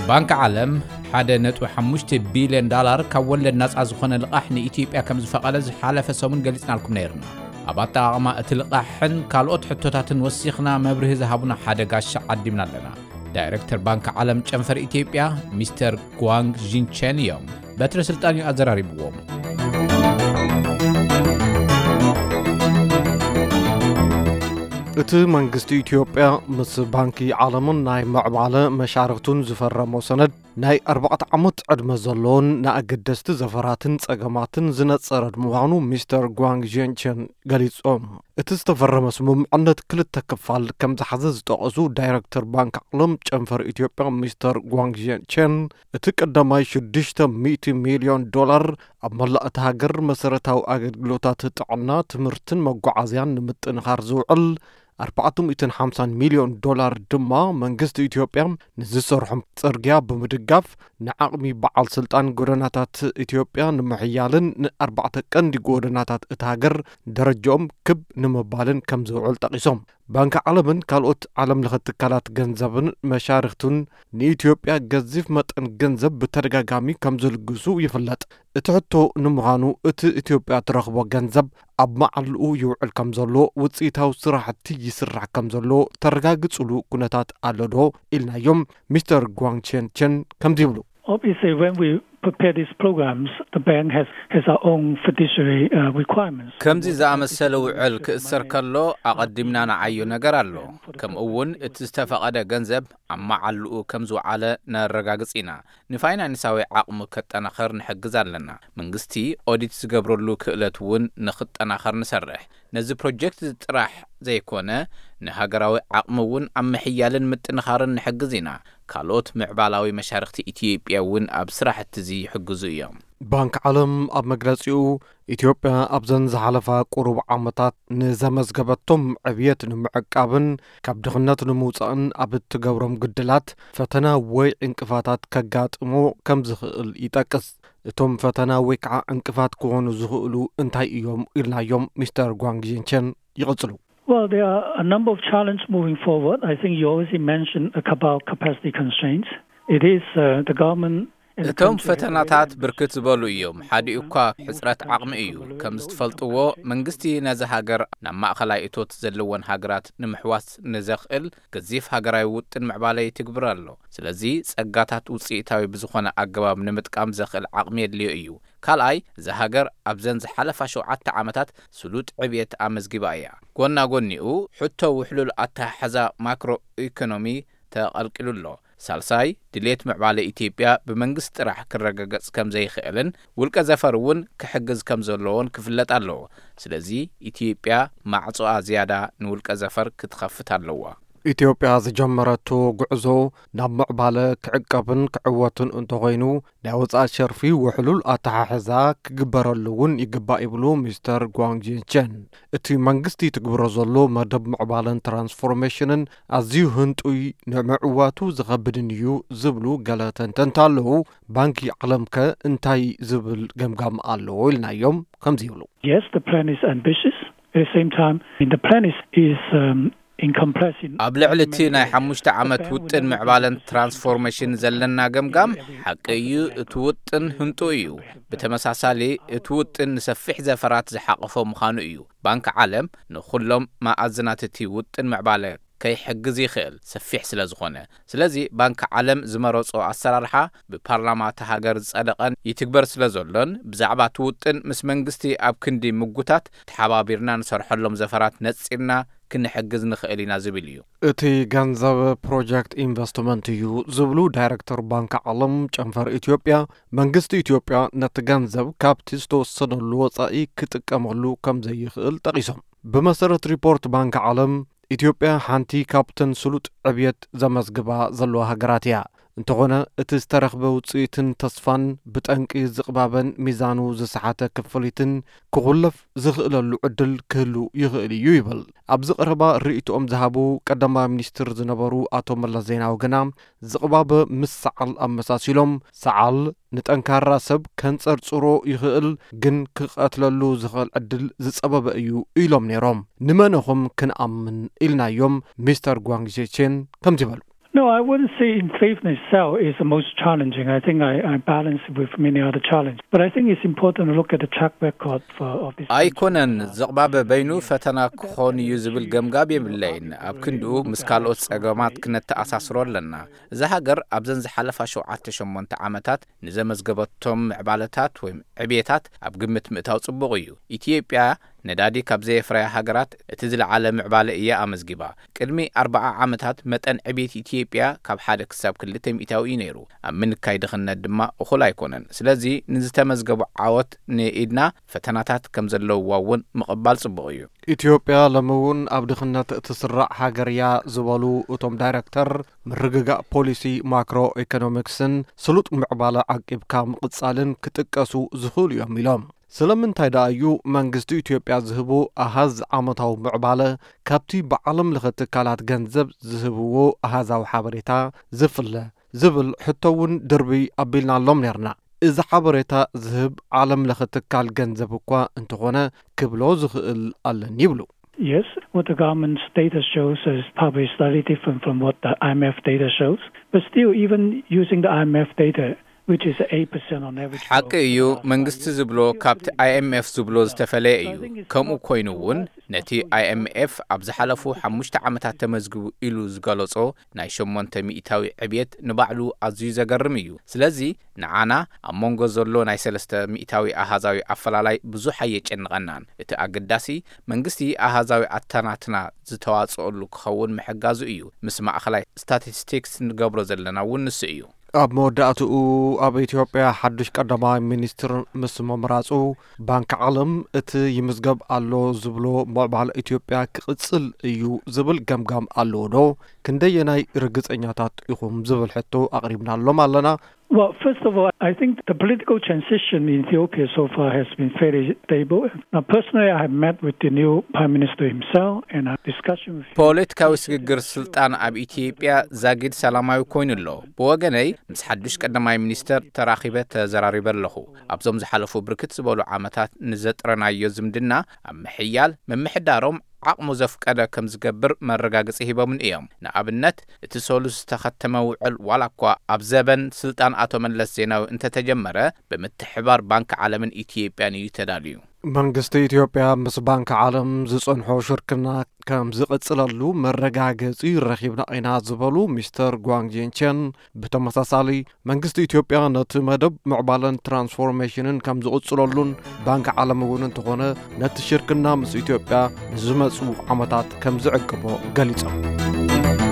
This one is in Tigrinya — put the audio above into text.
ባንክ ዓለም ሓደ ነጥቢ ሓሙሽተ ቢልዮን ዳላር ካብ ወለድ ናጻ ዝኾነ ልቓሕ ንኢትዮጵያ ከም ዝፈቐደ ዝሓለፈ ሰሙን ገሊጽናልኩም ነይርና። ኣብ ኣጠቓቕማ እቲ ልቓሕን ካልኦት ሕቶታትን ወሲኽና መብርሂ ዝሃቡና ሓደ ጋሻ ዓዲምና ኣለና። ዳይሬክተር ባንክ ዓለም ጨንፈር ኢትዮጵያ ሚስተር ጓንግ ዢንቸን እዮም። በትረ ስልጣን እዩ ኣዘራሪብዎም። እቲ መንግስቲ ኢትዮጵያ ምስ ባንኪ ዓለምን ናይ ምዕባለ መሻርኽቱን ዝፈረሞ ሰነድ ናይ ኣርባዕተ ዓመት ዕድመ ዘለዎን ንኣገደስቲ ዘፈራትን ጸገማትን ዝነጸረ ምዃኑ ሚስተር ጓንግ ጀንቸን ገሊጾም። እቲ ዝተፈረመ ስምምዕነት ክልተ ክፋል ከም ዝሓዘ ዝጠቐሱ ዳይረክተር ባንክ ዓለም ጨንፈር ኢትዮጵያ ሚስተር ጓንግ ጀንቸን፣ እቲ ቀዳማይ ሽዱሽተ ሚእቲ ሚልዮን ዶላር ኣብ መላእ እታ ሃገር መሰረታዊ ኣገልግሎታት ጥዕና፣ ትምህርትን መጓዓዝያን ንምጥንኻር ዝውዕል ኣርባዕተ ሚእትን ሓምሳን ሚልዮን ዶላር ድማ መንግስቲ ኢትዮጵያ ንዝሰርሖም ጽርግያ ብምድጋፍ ንዓቕሚ በዓል ስልጣን ጎደናታት ኢትዮጵያ ንምሕያልን ንኣርባዕተ ቀንዲ ጎደናታት እታ ሃገር ደረጃኦም ክብ ንምባልን ከም ዝውዕል ጠቒሶም። ባንኪ ዓለምን ካልኦት ዓለም ለኸ ትካላት ገንዘብን መሻርኽቱን ንኢትዮጵያ ገዚፍ መጠን ገንዘብ ብተደጋጋሚ ከም ዝልግሱ ይፍለጥ። እቲ ሕቶ ንምዃኑ እቲ ኢትዮጵያ ትረኽቦ ገንዘብ ኣብ መዓልኡ ይውዕል ከም ዘሎ፣ ውፅኢታዊ ስራሕቲ ይስራሕ ከም ዘሎ ተረጋግፅሉ ኩነታት ኣሎ ዶ ኢልናዮም። ሚስተር ጓንግ ቼን ቼን ከምዚ ይብሉ። Obviously, when we prepare these programs, the bank has, has our own fiduciary uh, requirements. ከምዚ ዝኣመሰለ ውዕል ክእሰር ከሎ ኣቐዲምና ንዓዮ ነገር ኣሎ። ከምኡ እውን እቲ ዝተፈቐደ ገንዘብ ኣብ መዓልኡ ከም ዝወዓለ ነረጋግጽ ኢና። ንፋይናንሳዊ ዓቕሙ ከጠናኸር ንሕግዝ ኣለና። መንግስቲ ኦዲት ዝገብረሉ ክእለት እውን ንኽጠናኸር ንሰርሕ። ነዚ ፕሮጀክት ጥራሕ ዘይኮነ፣ ንሃገራዊ ዓቕሚ እውን ኣብ ምሕያልን ምጥንኻርን ንሕግዝ ኢና። ካልኦት ምዕባላዊ መሻርኽቲ ኢትዮጵያ እውን ኣብ ስራሕቲ እዚ ይሕግዙ እዮም። ባንክ ዓለም ኣብ መግለጺኡ፣ ኢትዮጵያ ኣብዘን ዝሓለፋ ቁሩብ ዓመታት ንዘመዝገበቶም ዕብየት ንምዕቃብን ካብ ድኽነት ንምውጻእን ኣብ እትገብሮም ግድላት ፈተና ወይ ዕንቅፋታት ከጋጥሞ ከም ዝኽእል ይጠቅስ። እቶም ፈተና ወይ ከዓ ዕንቅፋት ክኾኑ ዝኽእሉ እንታይ እዮም ኢልናዮም ሚስተር ጓንግ ጂንቸን ይቕጽሉ። Well, there are a number of challenges moving forward. I think you already mentioned about capacity constraints. It is uh, the government and the እቶም country has ፈተናታት already ብርክት ዝበሉ እዮም። ሓዲኡ እኳ ሕጽረት ዓቕሚ እዩ። ከም ዝትፈልጥዎ፣ መንግስቲ ነዚ ሃገር ናብ ማእኸላይ እቶት ዘለወን ሃገራት ንምሕዋስ ንዘኽእል ገዚፍ ሃገራዊ ውጥን ምዕባለ ይትግብር ኣሎ። ስለዚ ጸጋታት ውጽኢታዊ ብዝኾነ ኣገባብ ንምጥቃም ዘኽእል ዓቕሚ የድልዮ እዩ። ካልኣይ፣ እዛ ሃገር ኣብዘን ዝሓለፋ ሸውዓተ ዓመታት ስሉጥ ዕብየት ኣመዝጊባ እያ። ጎና ጎኒኡ፣ ሕቶ ውሕሉል ኣተሓሕዛ ማክሮ ኢኮኖሚ ተቐልቂሉ ኣሎ። ሳልሳይ፣ ድሌት ምዕባለ ኢትዮጵያ ብመንግስቲ ጥራሕ ክረጋገጽ ከም ዘይኽእልን ውልቀ ዘፈር እውን ክሕግዝ ከም ዘለዎን ክፍለጥ ኣለዎ። ስለዚ ኢትዮጵያ ማዕጾኣ ዝያዳ ንውልቀ ዘፈር ክትኸፍት ኣለዋ። ኢትዮጵያ ዝጀመረቶ ጉዕዞ ናብ ምዕባለ ክዕቀብን ክዕወትን እንተኾይኑ፣ ናይ ወጻኢ ሸርፊ ውሕሉል ኣተሓሕዛ ክግበረሉ እውን ይግባእ ይብሉ ሚስተር ጓንግ ጂንቸን። እቲ መንግስቲ ትግብሮ ዘሎ መደብ ምዕባለን ትራንስፎርሜሽንን ኣዝዩ ህንጡይ፣ ንምዕዋቱ ዝኸብድን እዩ ዝብሉ ገለ ተንተንቲ ኣለዉ። ባንኪ ዓለምከ እንታይ ዝብል ገምጋም ኣለዎ ኢልናዮም ከምዚ ይብሉ። Yes, the plan is ambitious. At the same time, the plan is, is um, encompassing ኣብ ልዕሊ እቲ ናይ ሓሙሽተ ዓመት ውጥን ምዕባለን ትራንስፎርሜሽን ዘለና ገምጋም ሓቂ እዩ። እቲ ውጥን ህንጡ እዩ። ብተመሳሳሊ፣ እቲ ውጥን ንሰፊሕ ዘፈራት ዝሓቐፎ ምዃኑ እዩ። ባንክ ዓለም ንኹሎም መኣዝናት እቲ ውጥን ምዕባለ ከይሕግዝ ይኽእል፣ ሰፊሕ ስለ ዝኾነ። ስለዚ ባንክ ዓለም ዝመረጾ ኣሰራርሓ ብፓርላማ እታ ሃገር ዝጸደቐን ይትግበር ስለ ዘሎን፣ ብዛዕባ እቲ ውጥን ምስ መንግስቲ ኣብ ክንዲ ምጉታት፣ ተሓባቢርና ንሰርሐሎም ዘፈራት ነጺርና ክንሕግዝ ንኽእል ኢና ዝብል እዩ። እቲ ገንዘብ ፕሮጀክት ኢንቨስትመንት እዩ ዝብሉ ዳይረክተር ባንክ ዓለም ጨንፈር ኢትዮጵያ፣ መንግስቲ ኢትዮጵያ ነቲ ገንዘብ ካብቲ ዝተወሰነሉ ወጻኢ ክጥቀመሉ ከም ዘይኽእል ጠቒሶም። ብመሰረት ሪፖርት ባንክ ዓለም፣ ኢትዮጵያ ሓንቲ ካብተን ስሉጥ ዕብየት ዘመዝግባ ዘለዋ ሃገራት እያ። እንተኾነ፣ እቲ ዝተረኽበ ውጽኢትን ተስፋን ብጠንቂ ዝቕባበን ሚዛኑ ዝሰሓተ ክፍሊትን ክኹለፍ ዝኽእለሉ ዕድል ክህሉ ይኽእል እዩ ይብል። ኣብዚ ቀረባ ርእይቶኦም ዝሃቡ ቀዳማይ ሚኒስትር ዝነበሩ ኣቶ መለስ ዜናዊ ግና፣ ዝቕባበ ምስ ሰዓል ኣመሳሲሎም፣ ሰዓል ንጠንካራ ሰብ ከንጸርጽሮ ይኽእል፣ ግን ክቐትለሉ ዝኽእል ዕድል ዝጸበበ እዩ ኢሎም ነይሮም። ንመነኹም ክንኣምን ኢልናዮም፣ ሚስተር ጓንግ ዜቼን ከምዚ በሉ። No, I wouldn't say inflation itself is the most challenging. I think I, I balance it with many other challenges. But I think it's important to look at the track record for, of this country. ኣይኮነን። ዘቕባበ በይኑ ፈተና ክኾን እዩ ዝብል ገምጋብ የብለይን። ኣብ ክንድኡ ምስ ካልኦት ጸገማት ክነተኣሳስሮ ኣለና። እዛ ሃገር ኣብዘን ዝሓለፋ ሸውዓተ ሸሞንተ ዓመታት ንዘመዝገበቶም ምዕባለታት ወይ ዕብየታት ኣብ ግምት ምእታው ጽቡቕ እዩ። ኢትዮጵያ ነዳዲ ካብ ዘየፍረያ ሃገራት እቲ ዝለዓለ ምዕባለ እያ ኣመዝጊባ። ቅድሚ ኣርብዓ ዓመታት መጠን ዕብየት ኢትዮጵያ ካብ ሓደ ክሳብ ክልተ ሚእታዊ እዩ ነይሩ። ኣብ ምንካይ ድኽነት ድማ እኹል ኣይኮነን። ስለዚ ንዝተመዝገቡ ዓወት ንኢድና ፈተናታት ከም ዘለውዋ እውን ምቕባል ጽቡቕ እዩ። ኢትዮጵያ ሎሚ እውን ኣብ ድኽነት እትስራዕ ሃገር እያ ዝበሉ እቶም ዳይረክተር፣ ምርግጋእ ፖሊሲ ማክሮ ኢኮኖሚክስን ስሉጥ ምዕባለ ዓቂብካ ምቕጻልን ክጥቀሱ ዝኽእሉ እዮም ኢሎም። ስለምንታይ ደኣ እዩ መንግስቲ ኢትዮጵያ ዝህቦ ኣሃዝ ዓመታዊ ምዕባለ ካብቲ ብዓለም ለኸ ትካላት ገንዘብ ዝህብዎ ኣሃዛዊ ሓበሬታ ዝፍለ ዝብል ሕቶ እውን ድርብይ ኣቢልናሎም ነርና። እዚ ሓበሬታ ዝህብ ዓለም ለኸ ትካል ገንዘብ እኳ እንተኾነ ክብሎ ዝኽእል ኣለኒ ይብሉ። Yes, what the government's data shows is probably slightly different from what the I M F data shows. But still, even using the I M F data, which is eight percent on average ሓቂ growth እዩ። for the last መንግስቲ five years. ዝብሎ ካብቲ I M F ዝብሎ ዝተፈለየ እዩ። ከምኡ ኮይኑ እውን ነቲ I M F ኣብ ዝሓለፉ ሓሙሽተ ዓመታት ተመዝግቡ ኢሉ ዝገለጾ ናይ ሸሞንተ ሚእታዊ ዕብየት ንባዕሉ ኣዝዩ ዘገርም እዩ። ስለዚ ንዓና ኣብ መንጎ ዘሎ ናይ ሰለስተ ሚእታዊ ኣሃዛዊ ኣፈላላይ ብዙሕ ኣየጨንቐናን። እቲ ኣገዳሲ መንግስቲ ኣሃዛዊ ኣተናትና ዝተዋጽኦሉ ክኸውን ምሕጋዙ እዩ። ምስ ማእኸላይ ስታቲስቲክስ ንገብሮ ዘለና እውን ንሱ እዩ። ኣብ መወዳእትኡ ኣብ ኢትዮጵያ ሓዱሽ ቀዳማይ ሚኒስትር ምስ ምምራጹ ባንኪ ዓለም እቲ ይምዝገብ ኣሎ ዝብሎ ምዕባለ ኢትዮጵያ ክቕጽል እዩ ዝብል ገምጋም ኣለዎ ዶ? ክንደየናይ ርግጸኛታት ኢኹም ዝብል ሕቶ ኣቕሪብናሎም ኣለና። Well, first of all, I think the political transition in Ethiopia so far has been fairly stable. Now, personally, I have met with the new prime minister himself and had discussion with him. ፖለቲካዊ ስግግር ስልጣን ኣብ ኢትዮጵያ ዛጊድ ሰላማዊ ኮይኑ ኣሎ። ብወገነይ ምስ ሓዱሽ ቀዳማይ ሚኒስተር ተራኺበ ተዘራሪበ ኣለኹ። ኣብዞም ዝሓለፉ ብርክት ዝበሉ ዓመታት ንዘጥረናዮ ዝምድና ኣብ ምሕያል ምምሕዳሮም ዓቕሙ ዘፍቀደ ከም ዝገብር መረጋገጺ ሂቦምን እዮም። ንኣብነት እቲ ሰሉስ ዝተኸተመ ውዕል ዋላ እኳ ኣብ ዘበን ስልጣን ኣቶ መለስ ዜናዊ እንተተጀመረ ብምትሕባር ባንኪ ዓለምን ኢትዮጵያን እዩ ተዳልዩ። መንግስቲ ኢትዮጵያ ምስ ባንኪ ዓለም ዝጸንሖ ሽርክና ከም ዝቕጽለሉ መረጋገጺ ረኺብና ኢና ዝበሉ ሚስተር ጓንግ ጂንቸን ብተመሳሳሊ መንግስቲ ኢትዮጵያ ነቲ መደብ ምዕባለን ትራንስፎርሜሽንን ከም ዝቕጽለሉን ባንኪ ዓለም እውን እንተኾነ ነቲ ሽርክና ምስ ኢትዮጵያ ንዝመጹ ዓመታት ከም ዝዕቅቦ ገሊጾም።